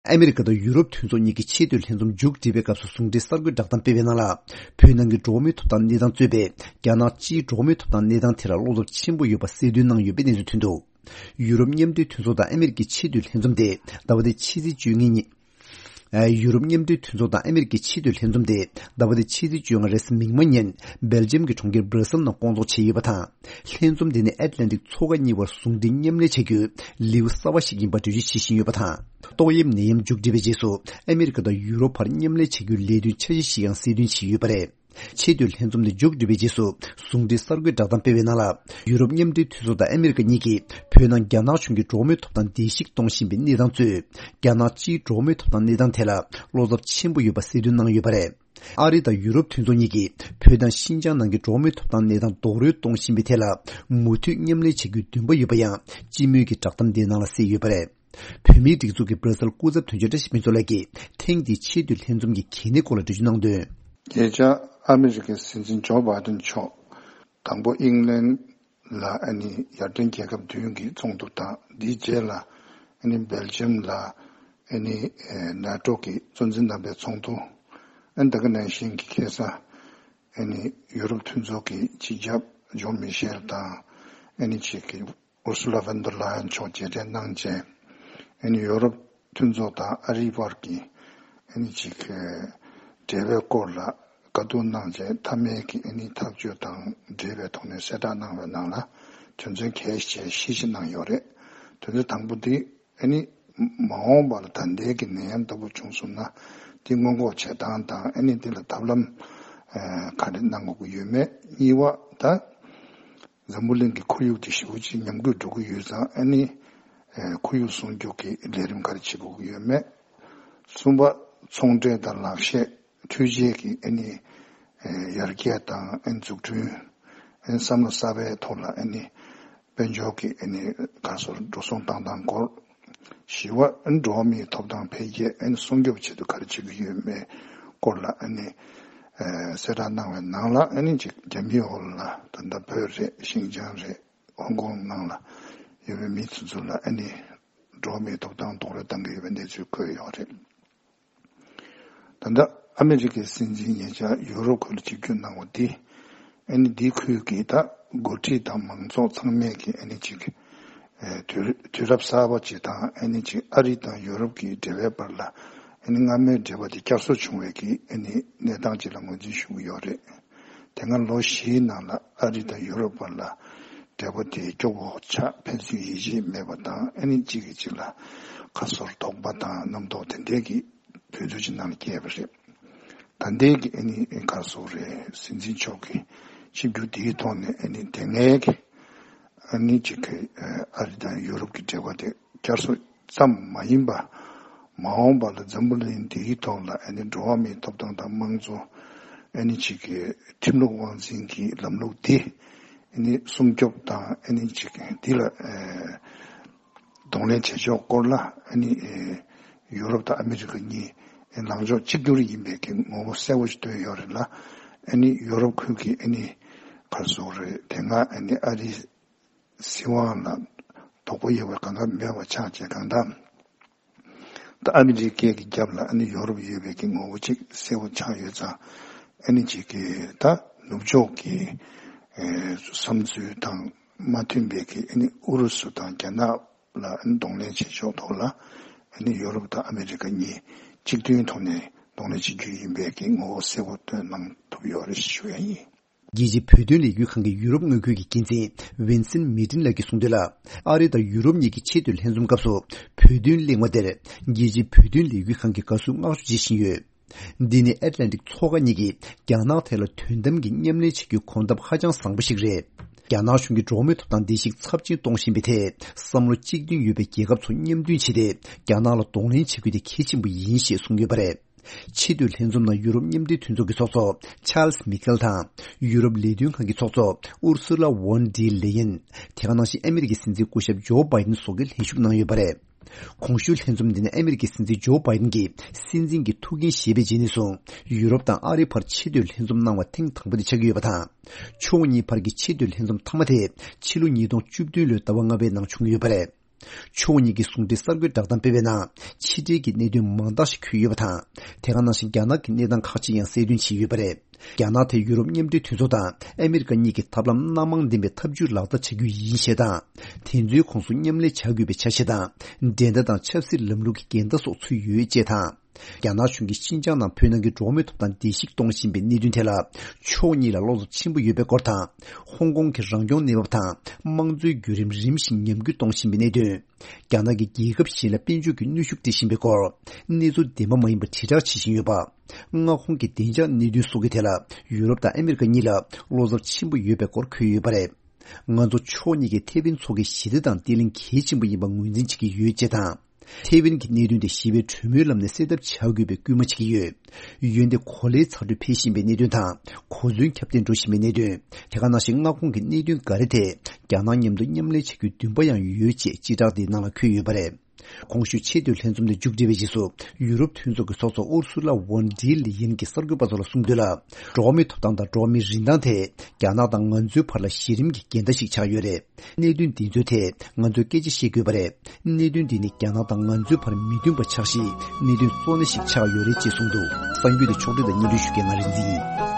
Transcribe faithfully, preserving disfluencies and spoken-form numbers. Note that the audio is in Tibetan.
ཨ་མི་རི་ཀ་དང་ཡུ་རོབ་མཐུན་ཚོགས་གཉིས་ཀྱི་ཆེས་མཐོའི་ལྷན་འཛོམས་མཇུག་སྒྲིལ་བའི་སྐབས་སུ་གསུང་འཕྲིན་གསར་འགོད་བསྒྲགས་གཏམ་སྤེལ་བའི་ནང་ལ། བོད་ནང་གི་འགྲོ་བ་མིའི་ཐོབ་ཐང་གནས་སྟངས་གཙོས་པའི་རྒྱ་ནག་སྤྱིའི་འགྲོ་བ་མིའི་ཐོབ་ཐང་གནས་སྟངས་ཐད་ལ་བློ་འཚབ་ཆེན་པོ་ཡོད་པ་གསལ་སྟོན་གནང་ཡོད་པའི་གནས་ཚུལ་ཐོན་འདུག་ཡུ་རོབ་མཉམ་འབྲེལ་མཐུན་ཚོགས་དང་ཨ་མི་རི་ཀའི་ཆེས་མཐོའི་ལྷན་འཛོམས་དེ་ཟླ་བ་འདིའི་ཕྱི་ཚེས་བཅོ་ལྔ་ཉིན། ཨ། ཡུ་རོབ་མཉམ་འབྲེལ་མཐུན་ཚོགས་དང་ཨ་མི་རི་ཀའི་ཆེས་མཐོའི་ལྷན་འཛོམས་དེ་ཟླ་བ་འདིའི་ཕྱི་ཚེས་བཅོ་ལྔ་རེས་གཟའ་མིག་དམར་ཉིན་སྦེལ་ཇམ་གྱི་གྲོང་ཁྱེར་སྦྲ་སེལ་ནང་བསྐོང་ཚོགས་བྱས་ཡོད་པ་དང་། ལྷན་འཛོམས་དེ་ནི་ཨེཊ་ལན་ཊིག་མཚོ་ཁ་གཉིས་བར་ཟུང་འབྲེལ་མཉམ་ལས་བྱ་རྒྱུའི་ལེའུ་གསར་བ་ཞིག་ཡིན་པར་འགྲེལ་བརྗོད་བྱེད་བཞིན་ཡོད་པ་དང་། ཏོག་དབྱིབས་ནད་ཡམས་མཇུག་སྒྲིལ་བའི་རྗེས་སུ་ཨ་མི་རི་ཀ་དང་ཡུ་རོབ་བར་མཉམ་ལས་བྱ་རྒྱུའི་ལས་དོན་འཆར་གཞི་ཞིག་ཡང་གསལ་སྟོན་བྱས་ཡོད་པ་རེད། ཆེས་མཐོའི་ལྷན་འཛོམས་དེ་མཇུག་སྒྲིལ་བའི་རྗེས་སུ་གསུང་འཕྲིན་གསར་འགོད་བསྒྲགས་གཏམ་སྤེལ་བའི་ནང་ལ། ཡུ་རོབ་མཉམ་འབྲེལ་མཐུན་ཚོགས་དང་ཨ་མི་རི་ཀ་གཉིས་ཀྱིས་བོད་ནང་རྒྱ་ནག་གཞུང་གིས་འགྲོ་བ་མིའི་ཐོབ་ཐང་བརྡལ་བཤིག་གཏོང་བཞིན་པའི་གནས་སྟངས་གཙོས། རྒྱ་ནག་སྤྱིའི་འགྲོ་བ་མིའི་ཐོབ་ཐང་གནས་སྟངས་ཐད་ལ་བློ་འཚབ་ཆེན་པོ་ཡོད་པ་གསལ་སྟོན་གནང་ཡོད་པ་རེད། ཨ་རི་དང་ཡུ་རོབ་མཐུན་ཚོགས་གཉིས་ཀྱིས་བོད་དང་ཤིན་ཅང་ནང་གི་འགྲོ་བ་མིའི་ཐོབ་ཐང་གནས་སྟངས་རྡོག་རོལ་གཏོང་བཞིན་པའི་ཐད་ལ་མུ་མཐུད་མཉམ་ལས་བྱ་རྒྱུའི་འདུན་པ་ཡོད་པ་ཡང་སྤྱི་མོས་ཀྱི་བསྒྲགས་གཏམ་དེའི་ནང་ལ་གསལ་ཡོད་པ་རེད། བོད་མིའི་སྒྲིག་འཛུགས་ཀྱི་སྦྲ་སེལ་སྐུ་ཚབ་དོན་གཅོད་བཀྲ་ཤིས་ཕུན་ཚོགས་ལགས་ཀྱིས་ཐེངས་འདིའི་ཆེས་མཐོའི་ལྷན་འཛོམས་ཀྱི་གལ་གནད་སྐོར་ལ་འགྲེལ་བརྗོད་གནང་དོན། ཉེ་ཆར་ཨ་མི་རི་ཀའི་སྲིད་འཛིན་ཇོ་བྷའི་ཏན་མཆོག་དང་པོ་ཨིང་ལན་ལ་ཨ་ནི་ཡར་ཐོན་རྒྱལ་ཁབ་བདུན་གྱི་ཚོགས་འདུ་དང་། འདིའི་རྗེས་ལ་ཨ་ནི་སྦེལ་ཇམ་ལ་ཨ་ནི་ཨེ་ནེ་ཊོ་གི་གཙོ་འཛིན་རྣམ་པའི་ཚོགས་འདུ། ཨ་ནི་ད་ག་ནང་བཞིན་གྱི་ཁ་སང་ཨ་ནི་ཡུ་རོབ་མཐུན་ཚོགས་ཀྱི་སྤྱི་ཁྱབ་ཇོན་མི་ཤེལ་དང་ཨ་ནི་ཅིག་གི་ཨུར་སུ་ལ་ཝན་དར་ལ་ཡན་མཆོག་མཇལ་འཕྲད་གནང་རྗེས། ཨ་ནི་ཡོ་རོབ་མཐུན་ཚོགས་དང་ཨ་རིའི་བར་གྱི་ཨ་ནི་ཅིག་འབྲེལ་བའི་སྐོར་ལ་བཀའ་བསྡུར་གནང་རྗེས། མཐའ་མའི་གི་ཨ་ནི་ཐག་གཅོད་དང་འབྲེལ་བའི་ཐོག་ནས་གསལ་བསྒྲགས་གནང་བའི་ནང་ལ། དོན་ཚན་གལ་ཆེ་བཞི་ཞིག་གནང་ཡོད་རེད། དོན་ཚན་དང་པོ་འདི་ཨ་ནི་མ་འོངས་པ་ལ་ད་ལྟའི་གི་ནད་ཡམས་ལྟ་བུ་བྱུང་སོང་ན། འདི་སྔོན་འགོག་བྱེད་སྟངས་དང་། ཨ་ནི་འདི་ལ་ཐབས་ལམ་ག་རེ་གནང་དགོས་ཀྱི་ཡོད་མེད། གཉིས་པ་ད། འཛམ་བུ་གླིང་གི་ཁོར་ཡུག་དེ་ཞེ་པོ་ཅིག་ཉམས་རྒུད་འགྲོ་གི་ཡོད་ཙང་། ཨ་ནི་ཨེ་ཁོར་ཡུག་སྲུང་སྐྱོབ་ཀྱི་ལས་རིམ་ག་རེ་བྱེད་དགོས་ཀྱི་ཡོད་མེད། གསུམ་པ། ཚོང་འབྲེལ་དང་ལག་ཤེས་འཕྲུལ་ཆས་ཀྱི་ཨ་ནི་ཨེ་ཡར་རྒྱས་དང་། ཨ་ནི་འཛུགས་སྐྲུན། ཨ་ནི་བསམ་བློ་གསར་པའི་ཐོག་ལ་ཨ་ནི་དཔལ་འབྱོར་གྱི་ཨ་ནི་ག་སོར་འགྲོ་སོང་བཏང་སྟངས་སྐོར། བཞི་པ། འགྲོ་བ་མིའི་ཐོབ་ཐང་འཕེལ་རྒྱས་ཨ་ནི་སྲུང་སྐྱོབ་ཆེད་དུ་ག་རེ་བྱེད་ཀྱི་ཡོད་མེད་སྐོར་ལ་ཨ་ནི་ཨེ་གསལ་བསྒྲགས་གནང་བའི་ནང་ལ། ཨ་ནི་ཅིག་རྒྱ་མིའི་འོག་ལ་ད་ལྟ་བོད་རེད། ཤིན་ཅང་རེད། ཧོང་ཀོང་ནང་ལ་ཡོད་པའི་མི་ཚོ་ཚོ་ལ་ཨ་ནི་འགྲོ་བ་མིའི་ཐོབ་ཐང་རྡོག་རོལ་བཏང་གི་ཡོད་པའི་གནས་ཚུལ་འཁོད་ཡོད་རེད། ད་ལྟ་ཨ་མི་རི་ཀའི་སྲིད་འཛིན་ཉེ་ཆར་ཡུ་རོབ་ཁུལ་ལ་ཆིབས་བསྒྱུར་གནང་བ་འདི། ཨ་ནི་འདི་ཁུལ་གྱི་ད་འགོ་ཁྲིད་དང་མང་ཚོགས་ཚང་མས་ཀྱི་ཨ་ནི་ཅིག་ཨེ་དུས་དུས་རབས་གསར་པ་ཅིག་དང་། ཨ་ནི་ཅིག་ཨ་རི་དང་ཡུ་རོབ་ཀྱི་འབྲེལ་བའི་བར་ལ་ཨ་ནི་སྔ་མའི་འབྲེལ་བ་དེ་བསྐྱར་གསོ་བྱུང་བའི་གི་ཨ་ནི་གནས་སྟངས་ཅིག་ལ་ངོས་འཛིན་ཞུ་གི་ཡོད་རེད། དེ་སྔ་ལོ་བཞིའི་ནང་ལ་ཨ་རི་དང་ཡུ་རོབ་བར་ལ་འབྲེལ་བ་དེ་སྐྱོ་བོ་ཆགས། ཕན་ཚུན་ཡིད་ཆེས་མེད་པ་དང་། ཨ་ནི་གཅིག་གིས་གཅིག་ལ་ཁ་སོར་དོགས་པ་དང་རྣམ་རྟོག་དེ་འདྲའི་གི་དུས་ཚོད་ཅིག་ནང་ལ་སྐྱེས་པ་རེད། ད་ལྟའི་གི་ཨ་ནི་ཁ་སོ་རེད། སྲིད་འཛིན་མཆོག་གི་ཆིབས་བསྒྱུར་དེའི་ཐོག་ནས་ཨ་ནི་དེ་སྔའི་གི་ཨ་ནི་ཅིག་གི་ཨ་རི་དང་ཡུ་རོབ་ཀྱི་འབྲེལ་བ་དེ་བསྐྱར་གསོ་ཙམ་མ་ཡིན་པ། མ་འོངས་པ་ལ་འཛམ་བུ་གླིང་འདིའི་ཐོག་ལ་ཨ་ནི་འགྲོ་བ་མིའི་ཐོབ་ཐང་དང་། དམངས་གཙོ། ཨ་ནི་ཅིག་གི་ཁྲིམས་ལུགས་དབང་འཛིན་གྱི་ལམ་ལུགས་འདི་ཨ་ནི་སྲུང་སྐྱོབ་དང་། ཨ་ནི་ཅིག་འདི་ལ་ཨེ་གདོང་ལེན་བྱེད་ཕྱོགས་སྐོར་ལ་ཨ་ནི་ཨེ་ཡུ་རོབ་དང་ཨ་མི་རི་ཀ་གཉིས་ཨེ་ལངས་ཕྱོགས་གཅིག་གྱུར་ཡིན་པའི་གི་ངོ་བོ་གསལ་པོ་ཞིག་སྟོན་ཡོད་རེད་ལ། ཨ་ནི་ཡུ་རོབ་ཁུལ་གྱི་ཨ་ནི་ག་རེ་ཟེར་དགོས་རེད། དེ་སྔ་ཨ་ནི་ཨ་རིའི་སྲིད་དབང་ལ་དོགས་པ་ཡོད་པ་གང་ག་མེད་པ་ཆགས་བྱས། གང་ལྟར་ད་ཨ་མི་རི་ཀའི་གི་རྒྱབ་ལ་ཨ་ནི་ཡོ་རོབ་ཡོད་པའི་གི་ངོ་བོ་གཅིག་གསལ་པོ་ཆགས་ཡོད་ཙང་། ཨ་ནི་གཅིག་གི་ད་ནུབ་ཕྱོགས་ཀྱི་ཨེ་བསམ་ཚུལ་དང་མ་མཐུན་པའི་གི་ཨ་ནི་ཨུ་རུ་སུ་དང་རྒྱ་ནག་ལ་ཨ་ནི་གདོང་ལེན་བྱེད་ཕྱོགས་ཐོག་ལ་ཨ་ནི་ཡོ་རོབ་དང་ཨ་མི་རི་ཀ་གཉིས་གཅིག་མཐུན་ཐོག་ནས་གདོང་ལེན་བྱེད་རྒྱུ་ཡིན་པའི་གི་ངོ་བོ་གསལ་པོ་སྟོན་གནང་ཐུབ་ཡོད་རེད་ཞུ་ཡ་ཡིན། རྒྱལ་སྤྱིའི་བོད་དོན་ལས་འགུལ་ཁང་གི་ཡུ་རོབ་དངུལ་ཁུལ་གྱི་འགན་འཛིན་ཝིན་སེན་མི་ཏིན་ལགས་ཀྱིས་གསུངས་དོན་ལ། ཨ་རི་དང་ཡུ་རོབ་གཉིས་ཀྱི་ཆེས་མཐོའི་ལྷན་འཛོམས་སྐབས་སུ་བོད་དོན་གླེང་བ་དེར་རྒྱལ་སྤྱིའི་བོད་དོན་ལས་འགུལ་ཁང་གིས་དགའ་བསུ་བསྔགས་བརྗོད་བྱེད་བཞིན་ཡོད། འདི་ནི་ཨེཊ་ལན་ཊིག་མཚོ་ཁ་གཉིས་ཀྱིས་རྒྱ་ནག་ཐད་ལ་དོན་དམ་གྱི་མཉམ་ལས་བྱེད་རྒྱུའི་གོ་སྟབས་ཧ་ཅང་བཟང་པོ་ཞིག་རེད། རྒྱ་ནག་གཞུང་གིས་འགྲོ་བ་མིའི་ཐོབ་ཐང་བརྡལ་བཤིག་ཚབས་ཆེན་གཏོང་བཞིན་པའི་ཐད་བསམ་བློ་གཅིག་མཐུན་ཡོད་པའི་རྒྱལ་ཁབ་ཚོ་མཉམ་མཐུན་བྱས་ཏེ། རྒྱ་ནག་ལ་གདོང་ལེན་བྱེད་རྒྱུ་དེ་གལ་ཆེན་པོ་ཡིན་ཞེས་གསུངས་ཡོད་པ་རེད། ཆེས་མཐོའི་ལྷན་འཛོམས་ནང་ཡུ་རོབ་མཉམ་འབྲེལ་མཐུན་ཚོགས་ཀྱི་ཚོགས་གཙོ་ཆཱལ་སི་མི་ཁེལ་དང་། ཡུ་རོབ་ལས་དོན་ཁང་གི་ཚོགས་གཙོ་ཨུར་སུ་ལ་ཝོན་ཌི་ལེ་ཡེན། དེ་ག་ནང་བཞིན་ཨ་མི་རི་ཀའི་སྲིད་འཛིན་སྐུ་ཞབས་ཇོ་བྷའི་ཏིན་སོགས་ཀྱིས་ལྷན་ཞུགས་གནང་ཡོད་པ་རེད། གོང་ཞུས་ལྷན་འཛོམས་འདི་ནི་ཨ་མི་རི་ཀའི་སྲིད་འཛིན་ཇོ་བྷའི་ཏིན་གྱིས་སྲིད་འཛིན་གྱི་ཐུགས་འགན་བཞེས་པའི་རྗེས་ནས་བཟུང་ཡུ་རོབ་དང་ཨ་རིའི་བར་ཆེས་མཐོའི་ལྷན་འཛོམས་གནང་བ་ཐེངས་དང་པོ་དེ་ཆགས་ཀྱི་ཡོད་པ་དང་། ཕྱོགས་གཉིས་བར་གྱི་ཆེས་མཐོའི་ལྷན་འཛོམས་མཐའ་མ་དེ་ཕྱི་ལོ་ཉིས་སྟོང་བཅུ་བདུན་ལོའི་ཟླ་བ་ལྔ་པའི་ནང་བྱུང་ཡོད་པ་རེད། ཕྱོགས་གཉིས་ཀྱི་ཟུང་འབྲེལ་གསར་འགོད་བསྒྲགས་གཏམ་སྤེལ་བའི་ནང་། ཕྱི་འབྲེལ་གྱི་གནད་དོན་མང་དག་ཞིག་འཁོད་ཡོད་པ་དང་། དེ་ག་ནང་བཞིན་རྒྱ་ནག་གི་གནས་སྟངས་ཁག་ཅིག་ཡང་གསལ་སྟོན་བྱས་ཡོད་པ་རེད། རྒྱ་ནག་དེ་ཡུ་རོབ་མཉམ་འབྲེལ་མཐུན་ཚོགས་དང་ཨ་མི་རི་ཀ་གཉིས་ཀྱི་ཐབས་ལམ་སྣ་མང་ལྡན་པའི་ཐབས་ཇུས་ལག་བསྟར་བྱ་རྒྱུ་ཡིན་ཞེས་དང་། དེ་ཚོའི་ཁོངས་སུ་མཉམ་ལས་བྱ་དགོས་པའི་ཆ་ཤས་དང་། འགྲན་ཟླ་དང་ཆབ་སྲིད་ལམ་ལུགས་ཀྱི་འགལ་ཟླ་སོགས་ཚུད་ཡོད་ཅེས་དང་། རྒྱ་ནག་གཞུང་གིས་ཤིན་ཅང་ནང་བོད་ནང་གི་འགྲོ་བ་མིའི་ཐོབ་ཐང་བརྡལ་བཤིག་གཏོང་བཞིན་པའི་གནད་དོན་ཐད་ལ། ཕྱོགས་གཉིས་ལ་བློ་འཚབ་ཆེན་པོ་ཡོད་པའི་སྐོར་དང་། ཧོང་ཀོང་གི་རང་སྐྱོང་གནས་བབ་དང་། དམངས་གཙོའི་བརྒྱུད་རིམ་རིམ་བཞིན་ཉམས་རྒུད་གཏོང་བཞིན་པའི་གནད་དོན། རྒྱ་ནག་གིས་རྒྱལ་ཁབ་གཞན་ལ་དཔལ་འབྱོར་གྱི་གནོན་ཤུགས་སྤྲད་བཞིན་པའི་སྐོར། གནས་ཚུལ་བདེན་པ་མ་ཡིན་པ་དྲིལ་བསྒྲགས་བྱེད་བཞིན་ཡོད་པ། མངའ་ཁོངས་ཀྱི་བདེ་འཇགས་གནད་དོན་སོགས་ཀྱི་ཐད་ལ་ཡུ་རོབ་དང་ཨ་མི་རི་ཀ་གཉིས་ལ་བློ་འཚབ་ཆེན་པོ་ཡོད་པའི་སྐོར་འཁོད་ཡོད་པ་རེད། ང་ཚོ་ཕྱོགས་གཉིས་ཀས་ཐེ་ཝན་མཚོ་ཁའི་ཞི་བདེ་དང་བརྟན་ལྷིང་གལ་ཆེན་པོ་ཡིན་པ་ངོས་འཛིན་བྱེད་ཀྱི་ཡོད་ཅེས་དང་། ཐེ་ཝན་གྱི་གནད་དོན་དེ་ཞི་བའི་གྲོས་མོལ་ལམ་ནས་སེལ་ཐབས་བྱ་དགོས་པའི་སྐུལ་མ་བྱེད་ཀྱི་ཡོད། འོན་ཏེ་གོ་ལའི་ཚ་དྲོད་འཕེལ་བཞིན་པའི་གནད་དོན་དང་། གོ་མཚོན་ཁྱབ་གདལ་འགྲོ་བཞིན་པའི་གནད་དོན། དེ་ག་ནང་བཞིན་མངའ་ཁོངས་ཀྱི་གནད་དོན་འགའ་རེ་ཐད་རྒྱ་ནག་མཉམ་དུ་མཉམ་ལས་བྱ་རྒྱུའི་འདུན་པ་ཡང་ཡོད་ཅེས་སྤྱི་བསྒྲགས་འདིའི་ནང་ལ་འཁོད་ཡོད་པ་རེད། གོང་ཞུས་ཆེས་མཐོའི་ལྷན་འཛོམས་དེ་མཇུག་སྒྲིལ་བའི་རྗེས་སུ། ཡུ་རོབ་མཐུན་ཚོགས་ཀྱི་ཚོགས་གཙོ་ཨུར་སུ་ལ་ཝོན་ཌི་ལི་ཡེན་གྱིས་གསར་འགོད་པ་ཚོ་ལ་གསུངས་དོན་ལ། འགྲོ་བ་མིའི་ཐོབ་ཐང་དང་འགྲོ་བ་མིའི་རིན་ཐང་ཐད། རྒྱ་ནག་དང་ང་ཚོའི་བར་ལ་གཞི་རིམ་གྱི་འགལ་ཟླ་ཞིག་ཆགས་ཡོད་རེད། གནད་དོན་འདི་ཚོའི་ཐད་ང་ཚོས་སྐད་ཆ་བཤད་དགོས་པ་རེད། གནད་དོན་འདི་ནི་རྒྱ་ནག་དང་ང་ཚོའི་བར་མི་མཐུན་པ་ཆགས་གཞིའི་གནད་དོན་གཙོ་གནད་ཞིག་ཆགས་ཡོད་རེད་ཅེས་གསུངས་འདུག། གསར་འགྱུར་དེ་ཕྱོགས་སྒྲིག་དང་སྙན་སྒྲོན་ཞུ་མཁན་ང་རིག་འཛིན་ཡིན།